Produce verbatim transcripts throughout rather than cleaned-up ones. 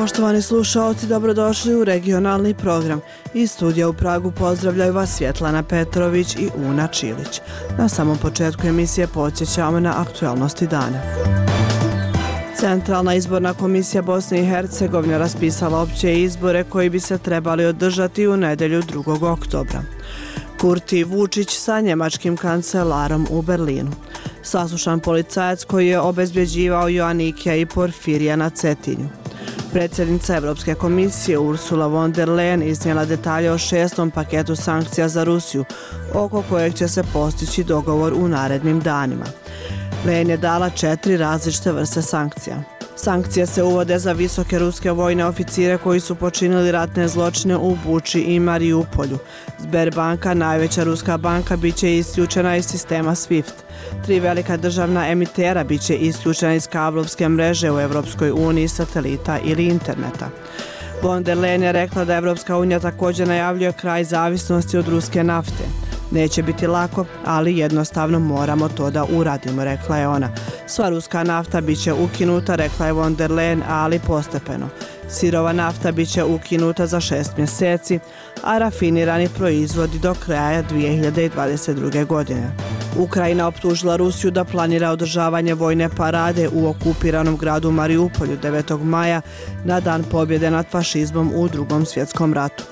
Poštovani slušaoci, dobrodošli u regionalni program. Iz studija u Pragu pozdravljaju vas Svjetlana Petrović i Una Čilić. Na samom početku emisije podsjećamo na aktualnosti dana. Centralna izborna komisija Bosne i Hercegovine raspisala opće izbore koji bi se trebali održati u nedjelju drugog oktobra. Kurti i Vučić sa njemačkim kancelarom u Berlinu. Saslušan policajac koji je obezbjeđivao Joannikija i Porfirija na Cetinju. Predsjednica Europske komisije Ursula von der Leyen iznijela detalje o šestom paketu sankcija za Rusiju, oko kojeg će se postići dogovor u narednim danima. Leyen je dala četiri različite vrste sankcija. Sankcije se uvode za visoke ruske vojne oficire koji su počinili ratne zločine u Buči i Mariupolju. Sberbanka, najveća ruska banka, bit će isključena iz sistema SWIFT. Tri velika državna emitera bit će isključena iz kablovske mreže u Europskoj uniji, satelita ili interneta. Von der Leyen je rekla da Europska unija također najavljuje kraj zavisnosti od ruske nafte. Neće biti lako, ali jednostavno moramo to da uradimo, rekla je ona. Sva ruska nafta bit će ukinuta, rekla je von der Leyen, ali postepeno. Sirova nafta bit će ukinuta za šest mjeseci, a rafinirani proizvodi do kraja dvije hiljade dvadeset druge. godine. Ukrajina optužila Rusiju da planira održavanje vojne parade u okupiranom gradu Mariupolju devetog maja na dan pobjede nad fašizmom u drugom svjetskom ratu.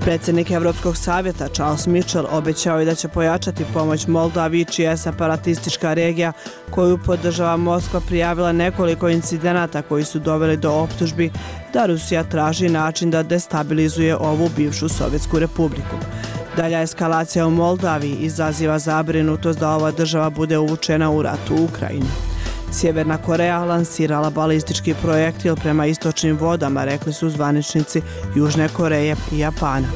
Predsjednik Europskog savjeta Charles Michel obećao je da će pojačati pomoć Moldaviji, čija je separatistička regija koju podržava Moskva prijavila nekoliko incidenata koji su doveli do optužbi da Rusija traži način da destabilizuje ovu bivšu Sovjetsku republiku. Dalja eskalacija u Moldaviji izaziva zabrinutost da ova država bude uvučena u rat u Ukrajini. Sjeverna Koreja lansirala balistički projektil prema istočnim vodama, rekli su zvaničnici Južne Koreje i Japana.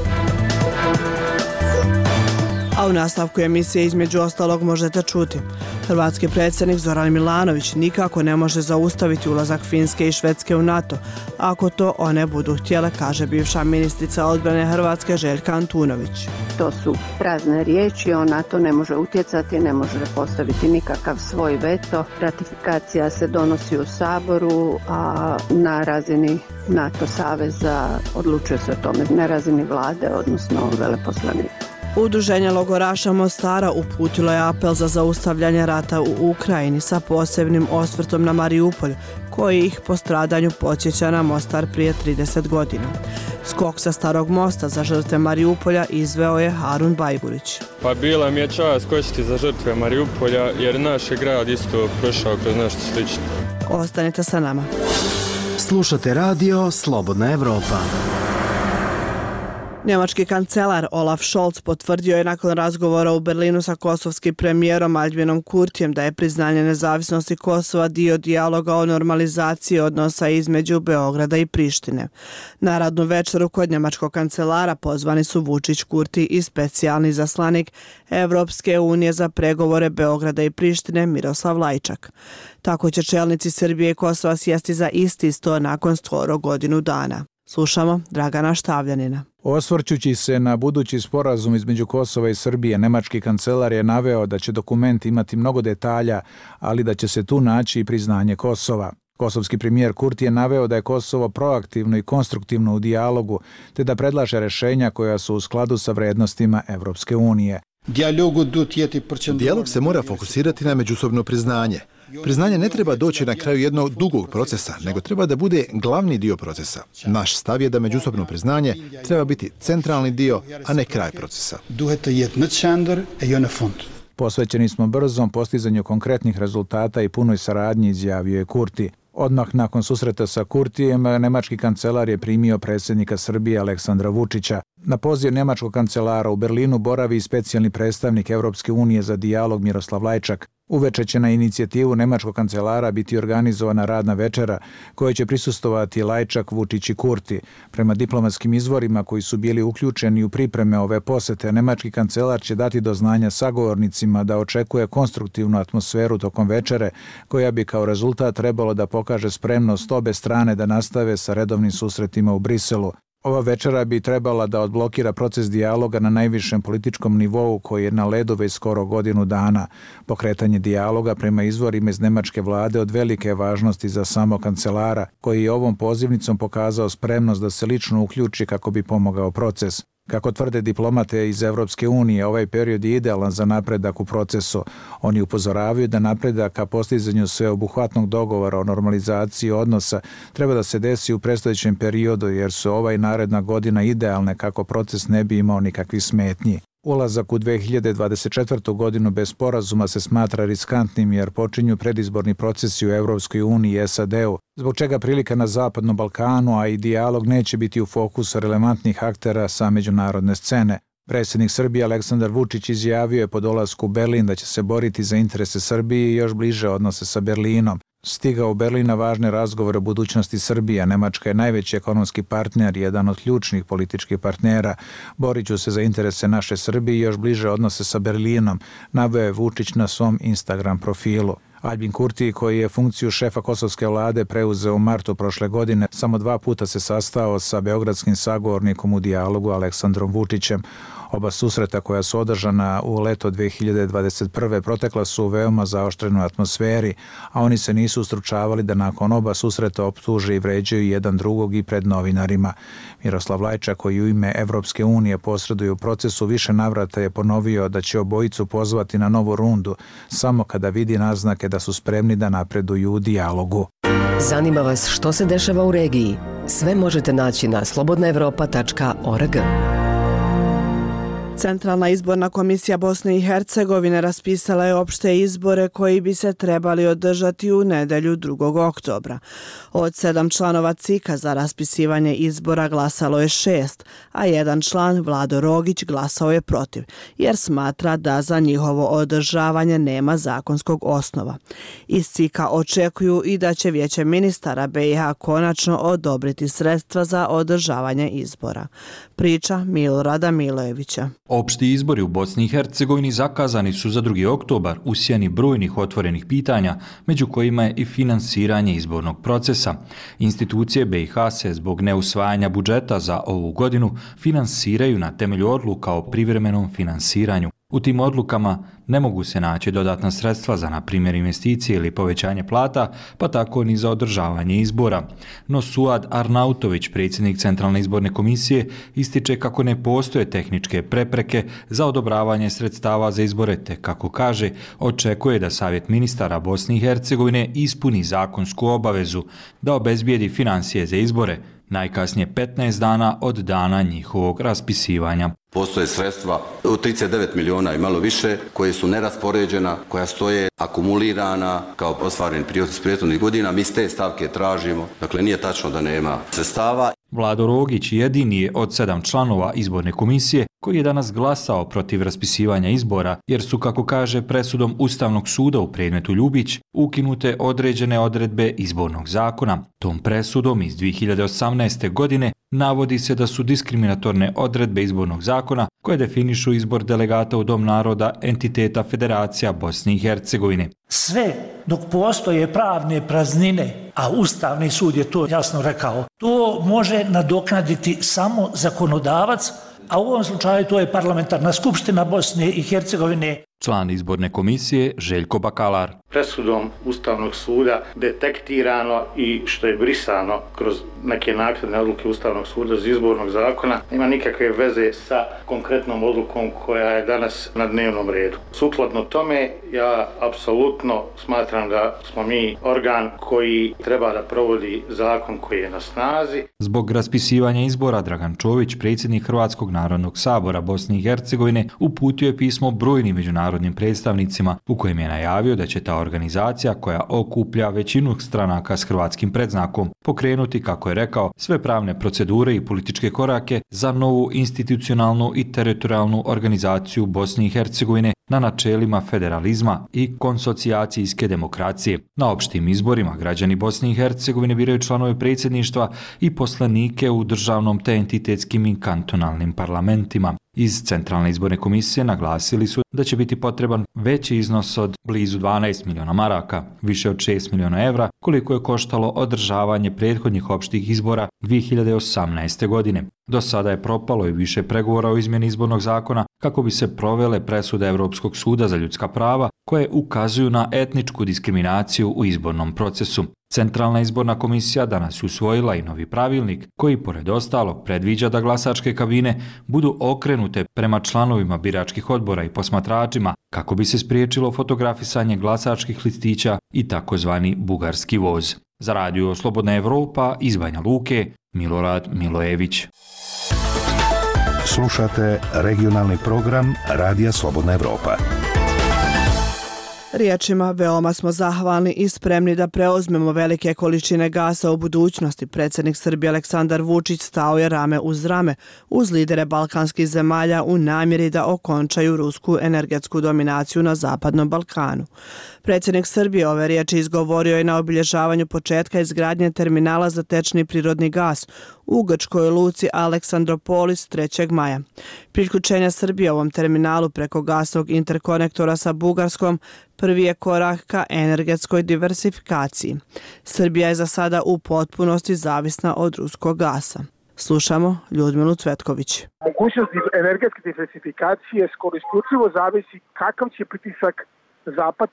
A u nastavku emisije između ostalog možete čuti. Hrvatski predsjednik Zoran Milanović nikako ne može zaustaviti ulazak Finske i Švedske u NATO, ako to one budu htjele, kaže bivša ministrica odbrane Hrvatske Željka Antunović. To su prazne riječi, on na to ne može utjecati, ne može postaviti nikakav svoj veto. Ratifikacija se donosi u Saboru, a na razini NATO saveza odlučuje se o tome na razini vlade, odnosno veleposlanika. Udruženje logoraša Mostara uputilo je apel za zaustavljanje rata u Ukrajini sa posebnim osvrtom na Mariupolj, koji ih po stradanju podsjeća na Mostar prije trideset godina. Skok sa Starog mosta za žrtve Mariupolja izveo je Harun Bajburić. Pa bila mi je čast skočiti za žrtve Mariupolja jer naš je grad isto prošao kroz nešto slično. Ostanite sa nama. Slušate radio Slobodna Evropa. Njemački kancelar Olaf Scholz potvrdio je nakon razgovora u Berlinu sa kosovskim premijerom Aljbinom Kurtijem da je priznanje nezavisnosti Kosova dio dijaloga o normalizaciji odnosa između Beograda i Prištine. Na radnu večeru kod njemačkog kancelara pozvani su Vučić, Kurti i specijalni zaslanik Evropske unije za pregovore Beograda i Prištine Miroslav Lajčak. Tako će čelnici Srbije i Kosova sjesti za isti sto nakon skoro godinu dana. Slušamo Dragana Štavljanina. Osvrćući se na budući sporazum između Kosova i Srbije, nemački kancelar je naveo da će dokument imati mnogo detalja, ali da će se tu naći i priznanje Kosova. Kosovski premijer Kurti je naveo da je Kosovo proaktivno i konstruktivno u dijalogu, te da predlaže rješenja koja su u skladu sa vrednostima Evropske unije. Dijalog se mora fokusirati na međusobno priznanje. Priznanje ne treba doći na kraju jednog dugog procesa, nego treba da bude glavni dio procesa. Naš stav je da međusobno priznanje treba biti centralni dio, a ne kraj procesa. Posvećeni smo brzom postizanju konkretnih rezultata i punoj saradnji, izjavio je Kurti. Odmah nakon susreta sa Kurtijem, nemački kancelar je primio predsjednika Srbije Aleksandra Vučića. Na poziv nemačkog kancelara u Berlinu boravi i specijalni predstavnik Evropske unije za dijalog Miroslav Lajčak. Uveče će na inicijativu nemačkog kancelara biti organizovana radna večera kojoj će prisustovati Lajčak, Vučić i Kurti. Prema diplomatskim izvorima koji su bili uključeni u pripreme ove posete, nemački kancelar će dati do znanja sagovornicima da očekuje konstruktivnu atmosferu tokom večere, koja bi kao rezultat trebalo da pokaže spremnost obe strane da nastave sa redovnim susretima u Briselu. Ova večera bi trebala da odblokira proces dijaloga na najvišem političkom nivou koji je na ledu već skoro godinu dana. Pokretanje dijaloga prema izvorima iz nemačke vlade od velike važnosti za samo kancelara, koji je ovom pozivnicom pokazao spremnost da se lično uključi kako bi pomogao proces. Kako tvrde diplomate iz Evropske unije, ovaj period je idealan za napredak u procesu. Oni upozoravaju da napredak ka postizanju sveobuhvatnog dogovora o normalizaciji odnosa treba da se desi u predstojećem periodu, jer su ova i naredna godina idealne kako proces ne bi imao nikakvih smetnji. Ulazak u dve hiljade dvadeset četvrtu. godinu bez sporazuma se smatra riskantnim jer počinju predizborni procesi u Evropskoj uniji i S A D-u, zbog čega prilika na Zapadnom Balkanu, a i dijalog neće biti u fokusu relevantnih aktera sa međunarodne scene. Predsjednik Srbije Aleksandar Vučić izjavio je po dolasku u Berlin da će se boriti za interese Srbije i još bliže odnose sa Berlinom. Stigao u Berlin na važne razgovore o budućnosti Srbije. Nemačka je najveći ekonomski partner i jedan od ključnih političkih partnera. Borit ću se za interese naše Srbije i još bliže odnose sa Berlinom, naveo je Vučić na svom Instagram profilu. Albin Kurti, koji je funkciju šefa kosovske vlade preuzeo u martu prošle godine, samo dva puta se sastao sa beogradskim sagovornikom u dijalogu Aleksandrom Vučićem. Oba susreta koja su održana u leto dve hiljade dvadeset prve. protekla su u veoma zaoštrenoj atmosferi, a oni se nisu ustručavali da nakon oba susreta optuže i vređaju jedan drugog i pred novinarima. Miroslav Lajčak, koji u ime Evropske unije posreduje u procesu, više navrata je ponovio da će obojicu pozvati na novu rundu samo kada vidi naznake da su spremni da napreduju u dijalogu. Zanima vas što se dešava u regiji? Sve možete naći na slobodna evropa tačka org. Centralna izborna komisija Bosne i Hercegovine raspisala je opšte izbore koji bi se trebali održati u nedelju drugog oktobra. Od sedam članova C I K-a za raspisivanje izbora glasalo je šest, a jedan član, Vlado Rogić, glasao je protiv, jer smatra da za njihovo održavanje nema zakonskog osnova. Iz C I K-a očekuju i da će Vijeće ministara B i H konačno odobriti sredstva za održavanje izbora. Priča Milorada Milojevića. Opšti izbori u Bosni i Hercegovini zakazani su za drugi oktobar u sjeni brojnih otvorenih pitanja, među kojima je i finansiranje izbornog procesa. Institucije B i H se zbog neusvajanja budžeta za ovu godinu finansiraju na temelju odluka o privremenom finansiranju. U tim odlukama ne mogu se naći dodatna sredstva za, na primjer, investicije ili povećanje plata, pa tako ni za održavanje izbora. No Suad Arnautović, predsjednik Centralne izborne komisije, ističe kako ne postoje tehničke prepreke za odobravanje sredstava za izbore, te, kako kaže, očekuje da Savjet ministara Bosne i Hercegovine ispuni zakonsku obavezu da obezbijedi financije za izbore, najkasnije petnaest dana od dana njihovog raspisivanja. Postoje sredstva u trideset devet miliona i malo više koje su neraspoređena, koja stoje akumulirana kao ostvareni prihod iz prethodnih godina. Mi s te stavke tražimo, dakle nije tačno da nema sredstava. Vlado Rogić jedini je od sedam članova izborne komisije koji je danas glasao protiv raspisivanja izbora, jer su, kako kaže, presudom Ustavnog suda u predmetu Ljubić ukinute određene odredbe izbornog zakona. Tom presudom iz dvije hiljade osamnaeste. godine navodi se da su diskriminatorne odredbe izbornog zakona koje definišu izbor delegata u Dom naroda entiteta Federacija Bosne i Hercegovine. Sve dok postoje pravne praznine, a Ustavni sud je to jasno rekao, to može nadoknaditi samo zakonodavac, a u ovom slučaju to je Parlamentarna skupština Bosne i Hercegovine. Član izborne komisije Željko Bakalar. Presudom Ustavnog suda detektirano i što je brisano kroz neke naknadne odluke Ustavnog suda iz izbornog zakona nema nikakve veze sa konkretnom odlukom koja je danas na dnevnom redu. Sukladno tome, ja apsolutno smatram da smo mi organ koji treba da provodi zakon koji je na snazi. Zbog raspisivanja izbora Dragan Čović, predsjednik Hrvatskog narodnog sabora Bosne i Hercegovine, uputio je pismo brojnim međunarodnim predstavnicima u kojem je najavio da će ta organizacija koja okuplja većinu stranaka s hrvatskim predznakom pokrenuti, kako je rekao, sve pravne procedure i političke korake za novu institucionalnu i teritorijalnu organizaciju Bosne i Hercegovine na načelima federalizma i konsocijacijske demokracije. Na opštim izborima građani Bosne i Hercegovine biraju članove predsjedništva i poslanike u državnom te entitetskim i kantonalnim parlamentima. Iz Centralne izborne komisije naglasili su da će biti potreban veći iznos od blizu dvanaest miliona maraka, više od šest miliona evra, koliko je koštalo održavanje prethodnih opštih izbora dvije hiljade osamnaeste. godine. Do sada je propalo i više pregovora o izmjeni izbornog zakona kako bi se provele presude Europskog suda za ljudska prava koje ukazuju na etničku diskriminaciju u izbornom procesu. Centralna izborna komisija danas usvojila i novi pravilnik koji, pored ostalog, predviđa da glasačke kabine budu okrenute prema članovima biračkih odbora i posmatračima kako bi se spriječilo fotografisanje glasačkih listića i takozvani bugarski voz. Za radio Slobodna Evropa iz Banja Luke, Milorad Milojević. Slušate regionalni program Radija Slobodna Evropa. Riječima veoma smo zahvalni i spremni da preuzmemo velike količine gasa u budućnosti. Predsjednik Srbije Aleksandar Vučić stao je rame uz rame uz lidere balkanskih zemalja u namjeri da okončaju rusku energetsku dominaciju na Zapadnom Balkanu. Predsjednik Srbije ove riječi izgovorio je na obilježavanju početka izgradnje terminala za tečni prirodni gas u grčkoj luci Aleksandropolis trećeg maja. Priključenje Srbije ovom terminalu preko gasnog interkonektora sa Bugarskom prvi je korak ka energetskoj diversifikaciji. Srbija je za sada u potpunosti zavisna od ruskog gasa. Slušamo Ljudmilu Cvetković. Mogućnost energetske diversifikacije skoro isključivo zavisi kakav će pritisak Zapad,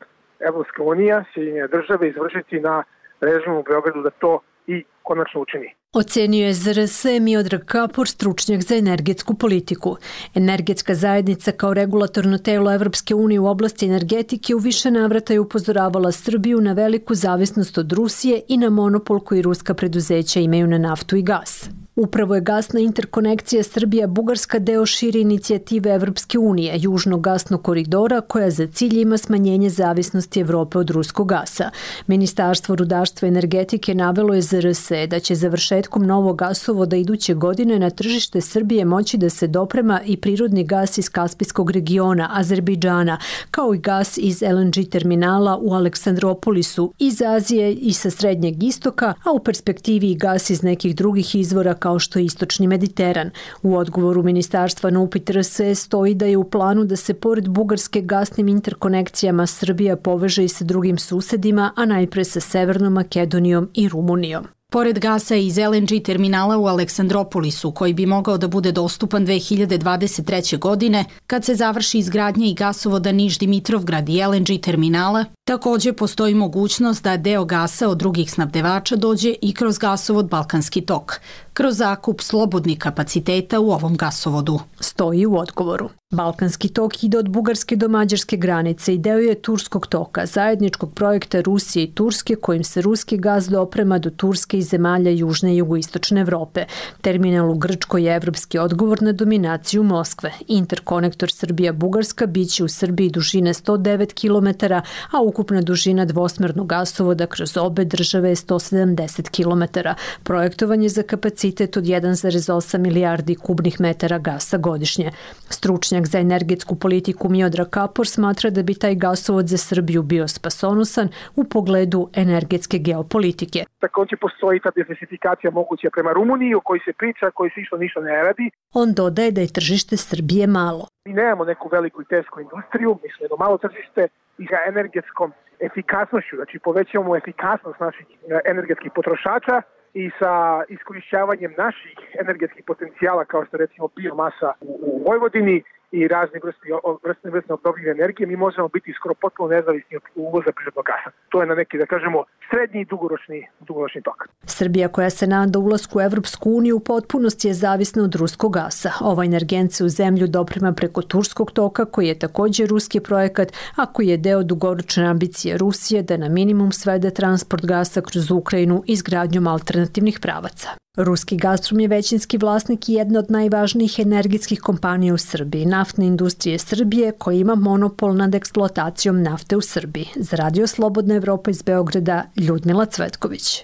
Evropska unija, Sjedinjene države izvršiti na režim u Beogradu da to i konačno učini. Ocenio je Z R S Miodrag Kapor, stručnjak za energetsku politiku. Energetska zajednica kao regulatorno telo Evropske unije u oblasti energetike u više navrata je upozoravala Srbiju na veliku zavisnost od Rusije i na monopol koji ruska preduzeća imaju na naftu i gas. Upravo je gasna interkonekcija Srbija-Bugarska deo šire inicijative Evropske unije, južnog gasnog koridora, koja za cilj ima smanjenje zavisnosti Evrope od ruskog gasa. Ministarstvo rudarstva i energetike navelo je Z R S da će završetkom novog gasovoda iduće godine na tržište Srbije moći da se doprema i prirodni gas iz Kaspijskog regiona, Azerbejdžana, kao i gas iz L N G terminala u Aleksandropolisu, iz Azije i sa Srednjeg istoka, a u perspektivi i gas iz nekih drugih izvora kao što je Istočni Mediteran. U odgovoru ministarstva na upit R S E stoji da je u planu da se pored Bugarske gasnim interkonekcijama Srbija poveže i sa drugim susedima, a najpre sa Severnom Makedonijom i Rumunijom. Pored gasa iz L N G terminala u Aleksandropolisu, koji bi mogao da bude dostupan dve hiljade dvadeset treće. godine, kad se završi izgradnja i gasovoda Niš-Dimitrovgrad i L N G terminala, također postoji mogućnost da deo gasa od drugih snabdevača dođe i kroz gasovod Balkanski tok, kroz zakup slobodnih kapaciteta u ovom gasovodu. Stoji u odgovoru. Balkanski tok ide od Bugarske do Mađarske granice i deo je Turskog toka, zajedničkog projekta Rusije i Turske kojim se ruski gas doprema do Turske i zemalja južne i jugoistočne Evrope. Terminal u Grčkoj je evropski odgovor na dominaciju Moskve. Interkonektor Srbija-Bugarska biće u Srbiji dužine sto devet kilometara, a ukupna dužina dvosmernog gasovoda kroz obe države je sto sedamdeset kilometara. Projektovan je za kapacitet od jedan zarez osam milijardi kubnih metara gasa godišnje. Stručnjak za energetsku politiku Miodrag Kapor smatra da bi taj gasovod za Srbiju bio spasonosan u pogledu energetske geopolitike. Također postoji ta diversifikacija moguća prema Rumuniji, o kojoj se priča, koji se isto ništa ne radi. On dodaje da je tržište Srbije malo. Mi nemamo neku veliku i tesku industriju, mislim jedno malo tržište i sa energetskom efikasnošću, znači povećavamo efikasnost naših energetskih potrošača i sa iskorišćavanjem naših energetskih potencijala kao što recimo biomasa u, u Vojvodini i razne vrste, vrste, vrste obnovljive energije, mi možemo biti skoro potpuno nezavisni od uvoza prirodnog gasa. To je na neki, da kažemo, srednji i dugoročni, dugoročni tok. Srbija, koja se nada ulasku u Evropsku uniju, u potpunosti je zavisna od ruskog gasa. Ova energent se u zemlju doprema preko Turskog toka, koji je također ruski projekat, a koji je deo dugoročne ambicije Rusije da na minimum svede transport gasa kroz Ukrajinu izgradnjom alternativnih pravaca. Ruski Gazprom je većinski vlasnik i jedna od najvažnijih energetskih kompanija u Srbiji, Naftne industrije Srbije, koja ima monopol nad eksploatacijom nafte u Srbiji. Za Radio Slobodna Evropa iz Beograda, Ljudmila Cvetković.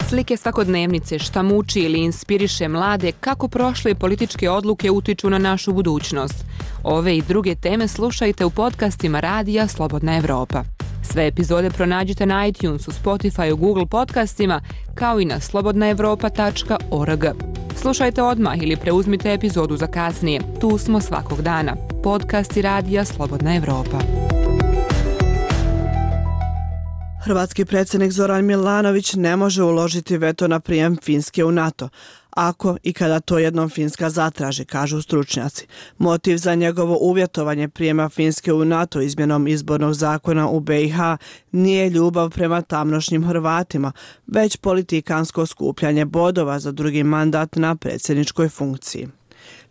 Slike svakodnevnice, šta muči ili inspiriše mlade, kako prošle političke odluke utiču na našu budućnost. Ove i druge teme slušajte u podcastima Radija Slobodna Evropa. Sve epizode pronađite na iTunesu, Spotifyu, Google podcastima, kao i na slobodna evropa tačka org. Slušajte odmah ili preuzmite epizodu za kasnije. Tu smo svakog dana. Podcasti Radija Slobodna Evropa. Hrvatski predsjednik Zoran Milanović ne može uložiti veto na prijem Finske u NATO, ako i kada to jednom Finska zatraži, kažu stručnjaci. Motiv za njegovo uvjetovanje prijema Finske u NATO izmjenom izbornog zakona u B i H nije ljubav prema tamnošnjim Hrvatima, već politikansko skupljanje bodova za drugi mandat na predsjedničkoj funkciji.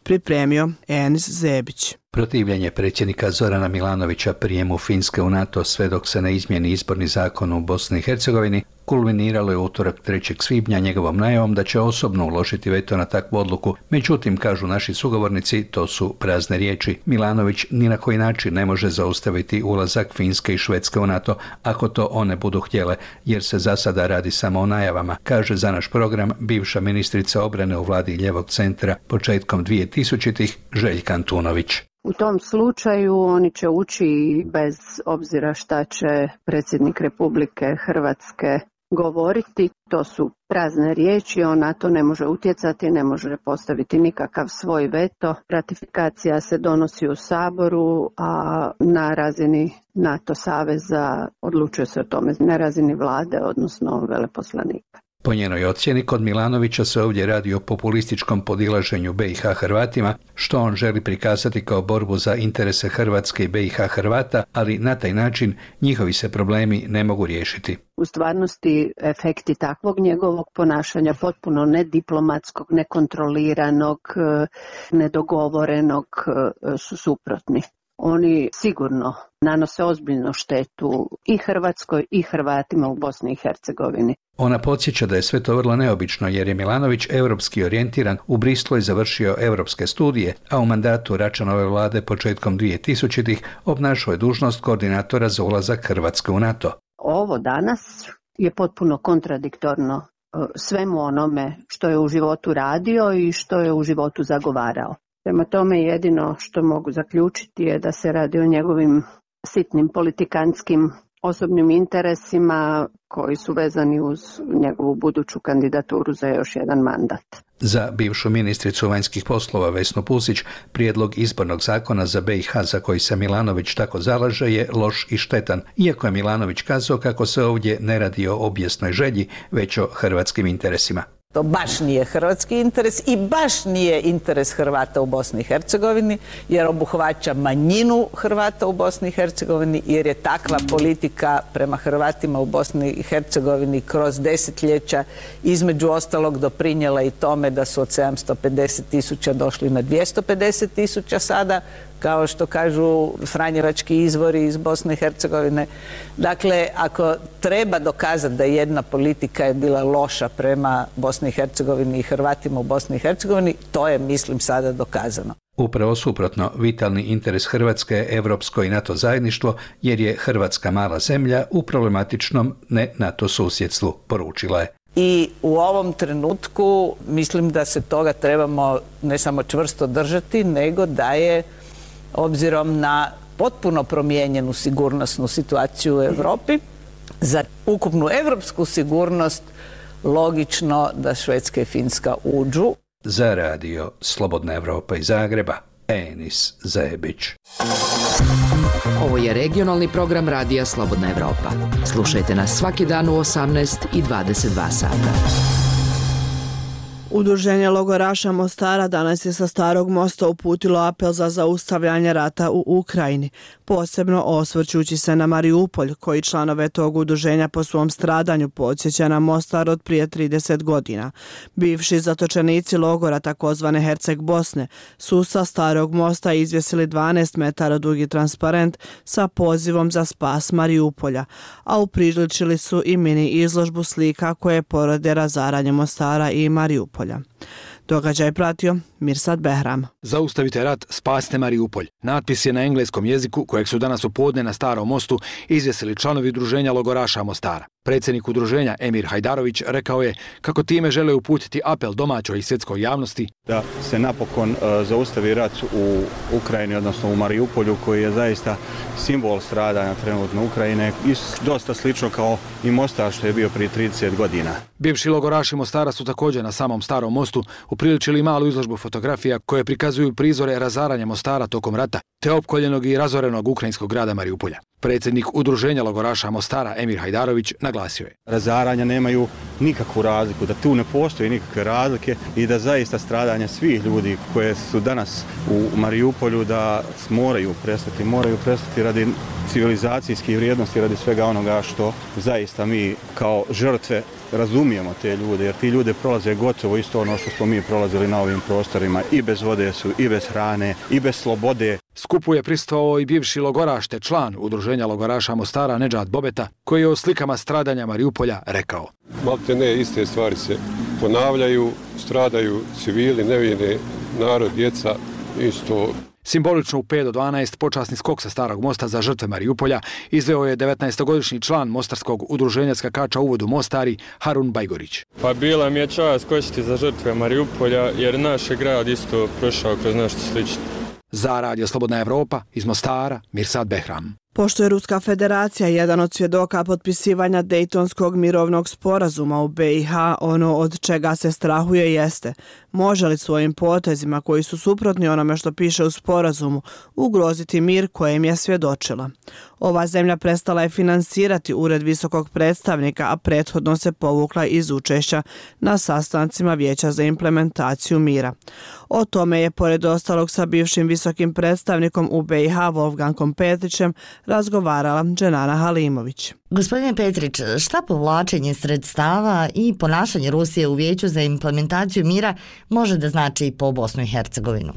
Pripremio Enis Zebić. Protivljenje predsjednika Zorana Milanovića prijemu Finske u NATO sve dok se ne izmijeni izborni zakon u Bosni i Hercegovini kulminiralo je utorak trećeg svibnja njegovom najavom da će osobno uložiti veto na takvu odluku. Međutim, kažu naši sugovornici, to su prazne riječi. Milanović ni na koji način ne može zaustaviti ulazak Finske i Švedske u NATO ako to one budu htjele, jer se za sada radi samo o najavama, kaže za naš program bivša ministrica obrane u vladi Ljevog centra početkom dvije tisućitih Željka Antunović. U tom slučaju oni će ući bez obzira šta će predsjednik Republike Hrvatske govoriti. To su prazne riječi, on na to ne može utjecati, ne može postaviti nikakav svoj veto. Ratifikacija se donosi u Saboru, a na razini NATO saveza odlučuje se o tome na razini vlade, odnosno veleposlanika. Po njenoj ocjeni, kod Milanovića se ovdje radi o populističkom podilaženju B i H Hrvatima, što on želi prikazati kao borbu za interese Hrvatske i B i H Hrvata, ali na taj način njihovi se problemi ne mogu riješiti. U stvarnosti efekti takvog njegovog ponašanja, potpuno nediplomatskog, nekontroliranog, nedogovorenog, su suprotni. Oni sigurno nanose ozbiljnu štetu i Hrvatskoj i Hrvatima u Bosni i Hercegovini. Ona podsjeća da je sve to vrlo neobično jer je Milanović europski orijentiran, u Bristolu je završio europske studije, a u mandatu Račanove vlade početkom dvije tisućitih obnašao je dužnost koordinatora za ulazak Hrvatske u NATO. Ovo danas je potpuno kontradiktorno svemu onome što je u životu radio i što je u životu zagovarao. Prema tome jedino što mogu zaključiti je da se radi o njegovim sitnim politikanskim osobnim interesima koji su vezani uz njegovu buduću kandidaturu za još jedan mandat. Za bivšu ministricu vanjskih poslova Vesnu Pusić, prijedlog izbornog zakona za B i H za koji se Milanović tako zalaže je loš i štetan, iako je Milanović kazao kako se ovdje ne radi o obijesnoj želji, već o hrvatskim interesima. To baš nije hrvatski interes i baš nije interes Hrvata u Bosni i Hercegovini, jer obuhvaća manjinu Hrvata u Bosni i Hercegovini, jer je takva politika prema Hrvatima u Bosni i Hercegovini kroz desetljeća između ostalog doprinijela i tome da su od sedamsto pedeset tisuća došli na dvjesto pedeset tisuća sada, kao što kažu franjevački izvori iz Bosne i Hercegovine. Dakle, ako treba dokazati da jedna politika je bila loša prema Bosni i Hercegovini i Hrvatima u Bosni i Hercegovini, to je, mislim, sada dokazano. Upravo suprotno, vitalni interes Hrvatske je evropsko i NATO zajedništvo, jer je Hrvatska mala zemlja u problematičnom ne NATO susjedstvu, poručila je. I u ovom trenutku mislim da se toga trebamo ne samo čvrsto držati, nego da je, obzirom na potpuno promijenjenu sigurnosnu situaciju u Europi, za ukupnu evropsku sigurnost logično da Švedska i Finska uđu. Za radio Slobodna Evropa iz Zagreba, Enis Zebić. Ovo je regionalni program Radija Slobodna Evropa. Slušajte nas svaki dan u osamnaest i dvadeset dva sata. Udruženje logoraša Mostara danas je sa Starog mosta uputilo apel za zaustavljanje rata u Ukrajini, posebno osvrćući se na Mariupolj, koji članove tog udruženja po svom stradanju podsjeća na Mostar od prije trideset godina. Bivši zatočenici logora takozvane Herceg Bosne su sa Starog mosta izvjesili dvanaest metara dugi transparent sa pozivom za spas Mariupolja, a upriličili su i mini izložbu slika koje porode razaranje Mostara i Mariupolja. Događaj pratio Mirsad Behram. Zaustavite rat, spasite Mariupolj. Natpis je na engleskom jeziku kojeg su danas u podne na Starom mostu izvjesili članovi udruženja logoraša Mostara. Predsjednik udruženja Emir Hajdarović rekao je kako time žele uputiti apel domaćoj i svjetskoj javnosti da se napokon uh, zaustavi rat u Ukrajini, odnosno u Mariupolju, koji je zaista simbol stradanja trenutno Ukrajine i dosta slično kao i Mostar što je bio prije trideset godina. Bivši logoraši Mostara su također na samom Starom mostu upriličili malu izložbu fotografija koje prikazuju prizore razaranja Mostara tokom rata, te opkoljenog i razorenog ukrajinskog grada Mariupolja. Predsjednik udruženja logoraša Mostara Emir Hajdarović naglasio je: razaranja nemaju nikakvu razliku, da tu ne postoji nikakve razlike i da zaista stradanja svih ljudi koje su danas u Mariupolju da moraju prestati, moraju prestati radi civilizacijskih vrijednosti, radi svega onoga što zaista mi kao žrtve razumijemo te ljude, jer ti ljude prolaze gotovo isto ono što smo mi prolazili na ovim prostorima, i bez vode su, i bez hrane, i bez slobode. Skupu je prisustvovao i bivši logoraš te član udruženja logoraša Mostara Nedžad Bobeta, koji je o slikama stradanja Mariupolja rekao: malte ne, iste stvari se ponavljaju, stradaju civili, nevine, narod, djeca, isto. Simbolično u pet do dvanaest počasni skok sa Starog mosta za žrtve Mariupolja izveo je devetnaestogodišnji član Mostarskog udruženja skakača u vodu Mostari Harun Bajgorić. Pa bila mi je čast skočiti za žrtve Mariupolja jer naš je grad isto prošao kroz nešto slično. Za Radio Slobodna Evropa iz Mostara Mirsad Behram. Pošto je Ruska federacija jedan od svjedoka potpisivanja Dejtonskog mirovnog sporazuma u B i H, ono od čega se strahuje jeste: može li svojim potezima koji su suprotni onome što piše u sporazumu ugroziti mir kojem je svjedočila. Ova zemlja prestala je finansirati Ured visokog predstavnika, a prethodno se povukla iz učešća na sastancima Vijeća za implementaciju mira. O tome je, pored ostalog, sa bivšim visokim predstavnikom u B i H Wolfgangom Petrićem razgovarala Dženana Halimović. Gospodine Petrić, šta povlačenje sredstava i ponašanje Rusije u Vijeću za implementaciju mira može da znači po Bosnu i Hercegovinu?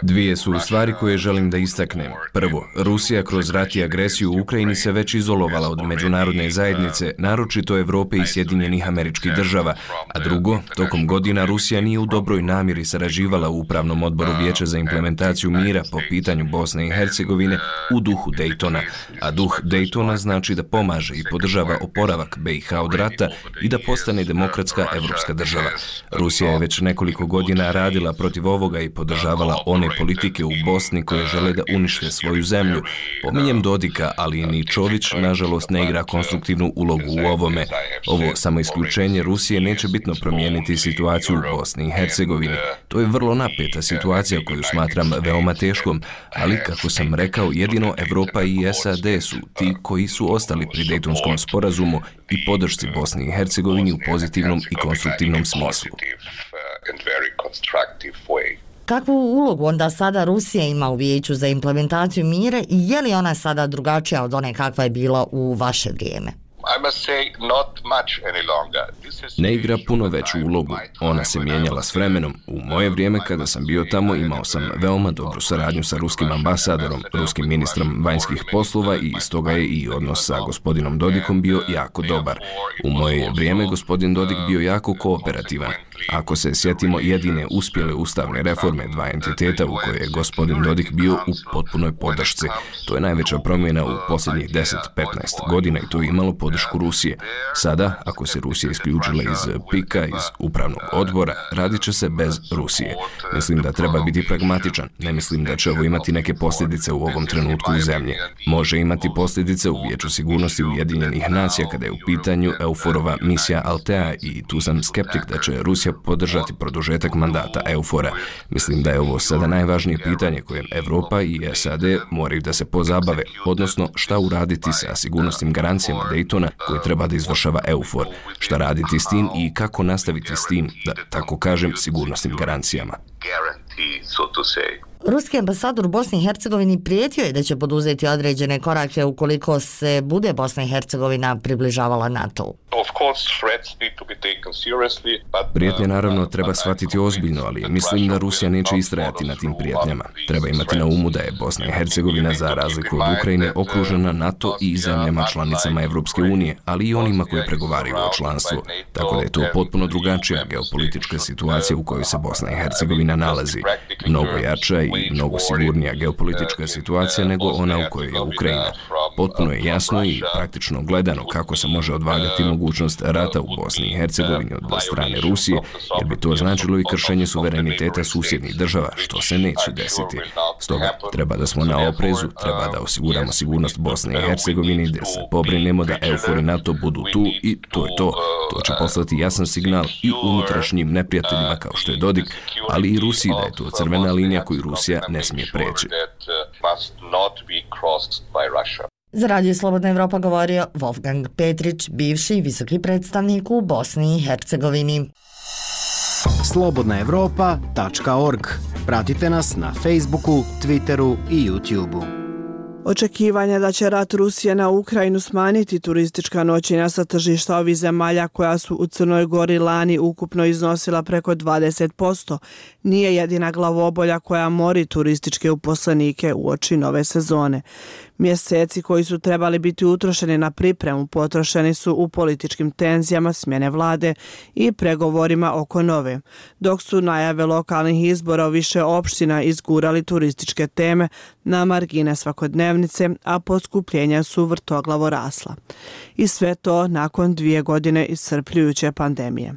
Dvije su stvari koje želim da istaknem. Prvo, Rusija kroz rat i agresiju u Ukrajini se već izolovala od međunarodne zajednice, naročito Evrope i Sjedinjenih Američkih Država. A drugo, tokom godina Rusija nije u dobroj namjeri sarađivala u Upravnom odboru Vijeća za implementaciju mira po pitanju Bosne i Hercegovine u duhu Dejtona. A duh Dejtona znači da pomaže i podržava oporavak B i H od rata i da postane demokratska evropska država. Rusija je već nekoliko godina radila protiv ovoga i podržavala one politike u Bosni koje žele da unište svoju zemlju. Pominjem Dodika, ali i Ničović, nažalost, ne igra konstruktivnu ulogu u ovome. Ovo samo isključenje Rusije neće bitno promijeniti situaciju u Bosni i Hercegovini. To je vrlo napeta situacija koju smatram veoma teškom, ali, kako sam rekao, jedino Evropa i S A D su ti koji su ostali pri Dejtonskom sporazumu i podršci Bosni i Hercegovini u pozitivnom i konstruktivnom smislu. Kakvu ulogu onda sada Rusija ima u Vijeću za implementaciju mira i je li ona sada drugačija od one kakva je bila u vaše vrijeme? Ne igra puno veću ulogu. Ona se mijenjala s vremenom. U moje vrijeme kada sam bio tamo imao sam veoma dobru saradnju sa ruskim ambasadorom, ruskim ministrom vanjskih poslova i stoga je i odnos sa gospodinom Dodikom bio jako dobar. U moje vrijeme gospodin Dodik bio jako kooperativan. Ako se sjetimo jedine uspjele ustavne reforme dva entiteta u koje je gospodin Dodik bio u potpunoj podršci, to je najveća promjena u posljednjih deset do petnaest godina i to je imalo podršku Rusije. Sada, ako se Rusija isključila iz pika, iz upravnog odbora, radit će se bez Rusije. Mislim da treba biti pragmatičan. Ne mislim da će ovo imati neke posljedice u ovom trenutku u zemlji. Može imati posljedice u Vijeću sigurnosti Ujedinjenih nacija kada je u pitanju EUFOR-ova misija Altea i tu sam skeptik da će Rusija podržati produžetak mandata EUFOR-a. Mislim da je ovo sada najvažnije pitanje kojem Evropa i S A D moraju da se pozabave, odnosno šta uraditi sa sigurnosnim garancijama Dejtona koje treba da izvršava EUFOR, šta raditi s tim i kako nastaviti s tim, da tako kažem, sigurnosnim garancijama. Ruski ambasador u Bosni i Hercegovini prijetio je da će poduzeti određene korake ukoliko se bude Bosna i Hercegovina približavala NATO-u. Prijetnje naravno treba shvatiti ozbiljno, ali mislim da Rusija neće istrajati na tim prijetnjama. Treba imati na umu da je Bosna i Hercegovina za razliku od Ukrajine okružena NATO i zemljama članicama Evropske unije, ali i onima koji pregovaraju o članstvu. Tako da je to potpuno drugačija geopolitička situacija u kojoj se Bosna i Hercegovina nalazi. Mnogo jača i mnogo sigurnija geopolitička situacija nego ona u kojoj je Ukrajina. Potpuno je jasno i praktično gledano kako se može odvagati mogućnost rata u Bosni i Hercegovini od strane Rusije, jer bi to značilo i kršenje suvereniteta susjednih država, što se neće desiti. Stoga treba da smo na oprezu, treba da osiguramo sigurnost Bosne i Hercegovini, da se pobrinemo da EUFOR i NATO budu tu i to je to. To će poslati jasan signal i unutrašnjim neprijateljima kao što je Dodik, ali i Rusiji da je to crvena linija koju Rusija ne smije preći. Za Radio Slobodna Evropa govorio Wolfgang Petrić, bivši visoki predstavnik u Bosni i Hercegovini. slobodna evropa tačka org. Pratite nas na Facebooku, Twitteru i YouTubeu. Očekivanja da će rat Rusije na Ukrajinu smanjiti turistička noćenja sa tržišta ovih zemalja koja su u Crnoj Gori lani ukupno iznosila preko dvadeset posto nije jedina glavobolja koja mori turističke uposlenike uoči nove sezone. Mjeseci koji su trebali biti utrošeni na pripremu potrošeni su u političkim tenzijama smjene vlade i pregovorima oko nove, dok su najave lokalnih izbora u više opština izgurali turističke teme na margine svakodnevnice, a poskupljenja su vrtoglavo rasla. I sve to nakon dvije godine iscrpljujuće pandemije.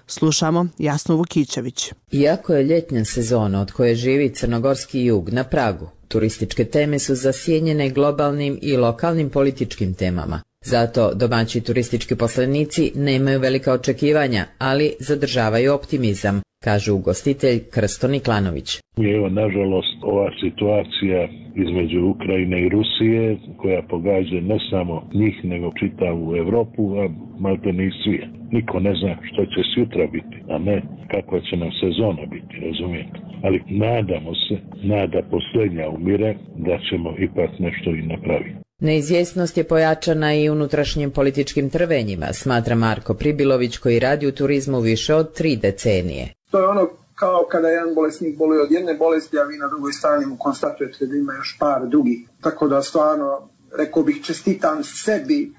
Slušamo Jasnu Vukićević. Iako je ljetnja sezona od koje živi crnogorski jug na pragu, turističke teme su zasjenjene globalnim i lokalnim političkim temama. Zato domaći turistički poslenici nemaju velika očekivanja, ali zadržavaju optimizam, kaže ugostitelj Krsto Niklanović. Evo, nažalost, ova situacija između Ukrajine i Rusije, koja pogađa ne samo njih, nego čitavu Evropu, a malte ne i svijet. Niko ne zna što će sutra biti, a ne kakva će nam sezona biti, razumijete. Ali nadamo se, nada posljednja umire, da ćemo ipak nešto i napraviti. Neizvjesnost je pojačana i unutrašnjim političkim trvenjima, smatra Marko Pribilović koji radi u turizmu više od tri decenije. To je ono kao kada jedan bolesnik boluje od jedne bolesti, a vi na drugoj strani mu konstatujete da ima još par drugih. Tako da stvarno, rekao bih, čestitam sebi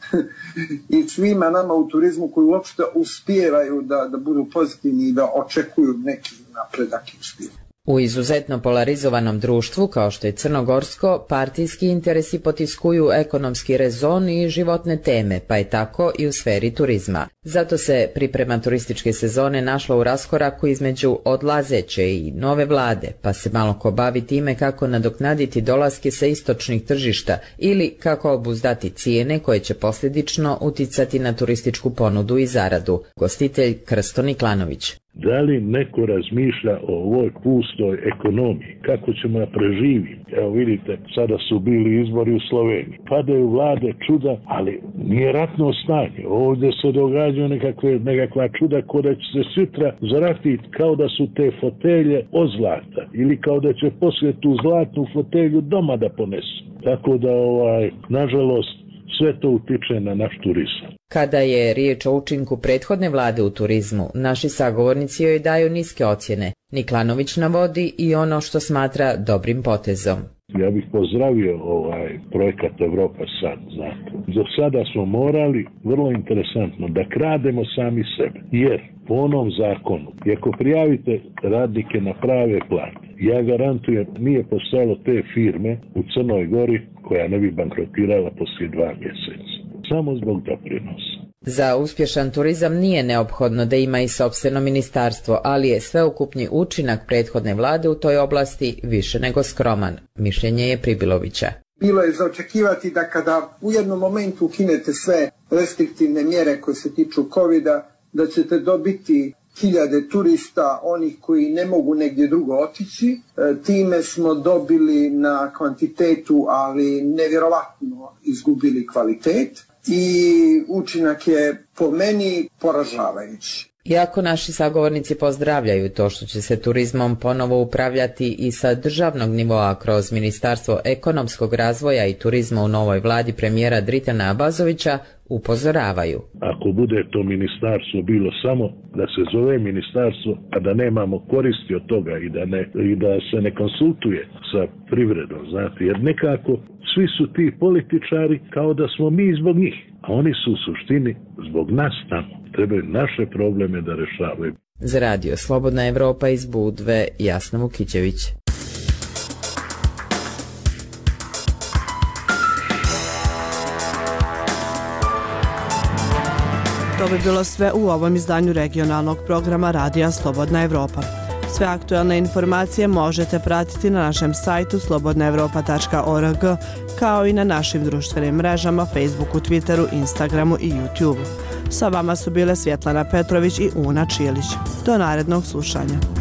i svima nama u turizmu koji uopšte uspijevaju da, da budu pozitivni i da očekuju neki napredak i uspjeh. U izuzetno polarizovanom društvu, kao što je crnogorsko, partijski interesi potiskuju ekonomski rezon i životne teme, pa je tako i u sferi turizma. Zato se priprema turističke sezone našla u raskoraku između odlazeće i nove vlade, pa se malo ko bavi time kako nadoknaditi dolaske sa istočnih tržišta ili kako obuzdati cijene koje će posljedično uticati na turističku ponudu i zaradu. Gostitelj Krsto Niklanović. Da li neko razmišlja o ovoj pustoj ekonomiji? Kako ćemo da preživiti? Evo vidite, sada su bili izbori u Sloveniji. Padaju vlade čuda, ali nije ratno stanje. Ovdje se događaju nekakve, nekakva čuda ko da će se sutra zaratiti kao da su te fotelje od zlata. Ili kao da će poslije tu zlatnu fotelju doma da ponesu. Tako da, ovaj, nažalost, sve to utiče na naš turizam. Kada je riječ o učinku prethodne vlade u turizmu, naši sagovornici joj daju niske ocjene. Niklanović navodi i ono što smatra dobrim potezom. Ja bih pozdravio ovaj projekat Evropa sad, znate. Do sada smo morali, vrlo interesantno, da krademo sami sebe. Jer po onom zakonu, i ako prijavite radnike na prave plate, ja garantujem, nije postojalo te firme u Crnoj Gori koja ne bi bankrotirala poslije dva mjeseca. Samo zbog doprinosa. Za uspješan turizam nije neophodno da ima i sopstveno ministarstvo, ali je sveukupni učinak prethodne vlade u toj oblasti više nego skroman. Mišljenje je Pribilovića. Bilo je za očekivati da kada u jednom momentu ukinete sve restriktivne mjere koje se tiču covida, da ćete dobiti hiljade turista, onih koji ne mogu negdje drugo otići. E, time smo dobili na kvantitetu, ali nevjerovatno izgubili kvalitet i učinak je po meni poražavajući. Iako naši sagovornici pozdravljaju to što će se turizmom ponovo upravljati i sa državnog nivoa kroz Ministarstvo ekonomskog razvoja i turizma u novoj vladi premijera Dritana Abazovića, upozoravaju. Ako bude to ministarstvo bilo samo da se zove ministarstvo, a da nemamo koristi od toga i da, ne, i da se ne konsultuje sa privredom, znate, jer nekako svi su ti političari kao da smo mi zbog njih, a oni su u suštini zbog nas tamo. Trebaju naše probleme da rešavaju. Za radio Slobodna Evropa iz Budve, Jasna Vukićević. To bi bilo sve u ovom izdanju regionalnog programa Radija Slobodna Evropa. Sve aktuelne informacije možete pratiti na našem sajtu slobodna evropa tačka org, kao i na našim društvenim mrežama Facebooku, Twitteru, Instagramu i YouTubeu. Sa vama su bile Svjetlana Petrović i Una Čilić. Do narednog slušanja.